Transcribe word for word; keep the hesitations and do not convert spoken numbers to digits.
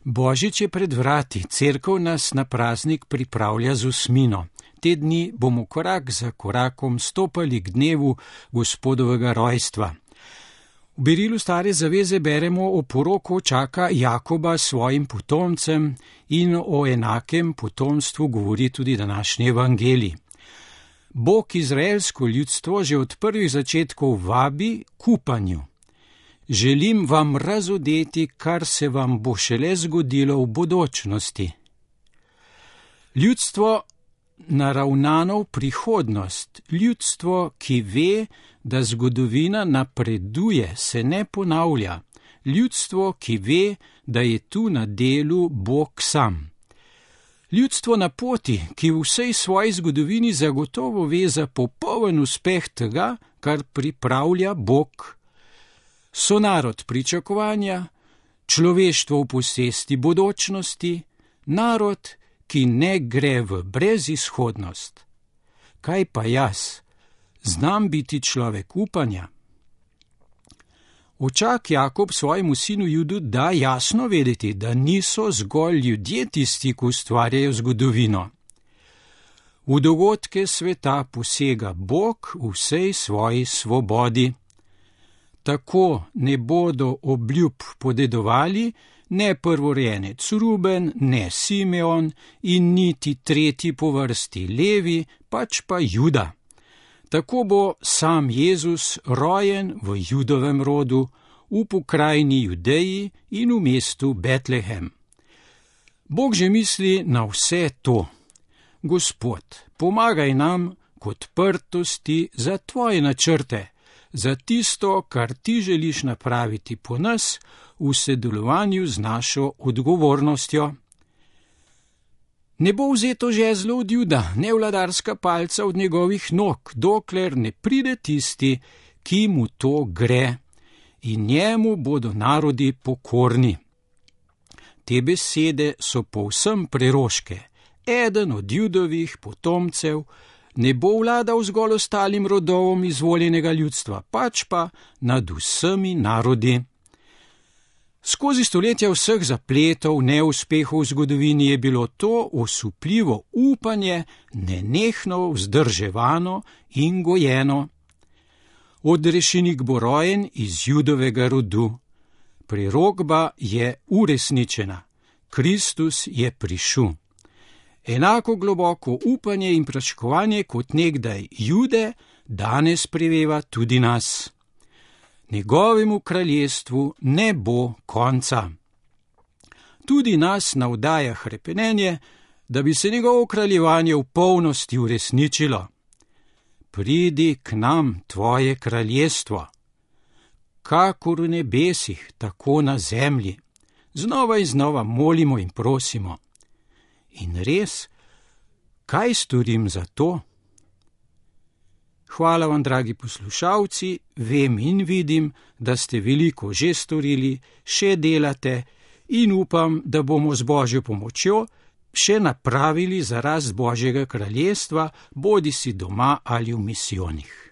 Božič je pred vrati, cerkev nas na praznik pripravlja z osmino. Te dni bomo korak za korakom stopali k dnevu Gospodovega rojstva. V berilu Stare zaveze beremo o poroku čaka Jakoba s svojim potomcem in o enakem potomstvu govori tudi današnji evangelij. Bog izraelsko ljudstvo že od prvih začetkov vabi k upanju. Želim vam razodeti, kar se vam bo šele zgodilo v bodočnosti. Ljudstvo naravnano v prihodnost, ljudstvo, ki ve, da zgodovina napreduje, se ne ponavlja, ljudstvo, ki ve, da je tu na delu Bog sam. Ljudstvo na poti, ki v vsej svoji zgodovini zagotovo ve za popoln uspeh tega, kar pripravlja Bog. So narod pričakovanja, človeštvo v posesti bodočnosti, narod, ki ne gre v brezizhodnost. Kaj pa jaz? Znam biti človek upanja? Očak Jakob svojemu sinu Judu da jasno vedeti, da niso zgolj ljudje tisti, ki ustvarjajo zgodovino. V dogodke sveta posega Bog v vsej svoji svobodi. Tako ne bodo obljub podedovali ne prvorojenec Ruben, ne Simeon in niti tretji po vrsti Levi, pač pa Juda. Tako bo sam Jezus rojen v Judovem rodu, v pokrajini Judeji in v mestu Betlehem. Bog že misli na vse to. Gospod, pomagaj nam k odprtosti za tvoje načrte, za tisto, kar ti želiš napraviti po nas, v sodelovanju z našo odgovornostjo. Ne bo vzeto žezlo od Juda, ne vladarska palca od njegovih nog, dokler ne pride tisti, ki mu to gre, in njemu bodo narodi pokorni. Te besede so povsem preroške. Eden od Judovih potomcev ne bo vladal zgolj ostalim rodovom izvoljenega ljudstva, pač pa nad vsemi narodi. Skozi stoletja vseh zapletov, neuspehov v zgodovini je bilo to osupljivo upanje nenehno vzdrževano in gojeno. Odrešenik bo rojen iz Judovega rodu. Prerokba je uresničena. Kristus je prišel. Enako globoko upanje in pričakovanje kot nekdaj Jude danes preveva tudi nas. Njegovemu kraljestvu ne bo konca. Tudi nas navdaja hrepenenje, da bi se njegovo kraljevanje v polnosti uresničilo. Pridi k nam tvoje kraljestvo. Kakor v nebesih, tako na zemlji. Znova in znova molimo in prosimo. In res, kaj storim za to? Hvala vam, dragi poslušalci, vem in vidim, da ste veliko že storili, še delate in upam, da bomo z Božjo pomočjo še napravili za rast Božjega kraljestva, bodisi doma ali v misijonih.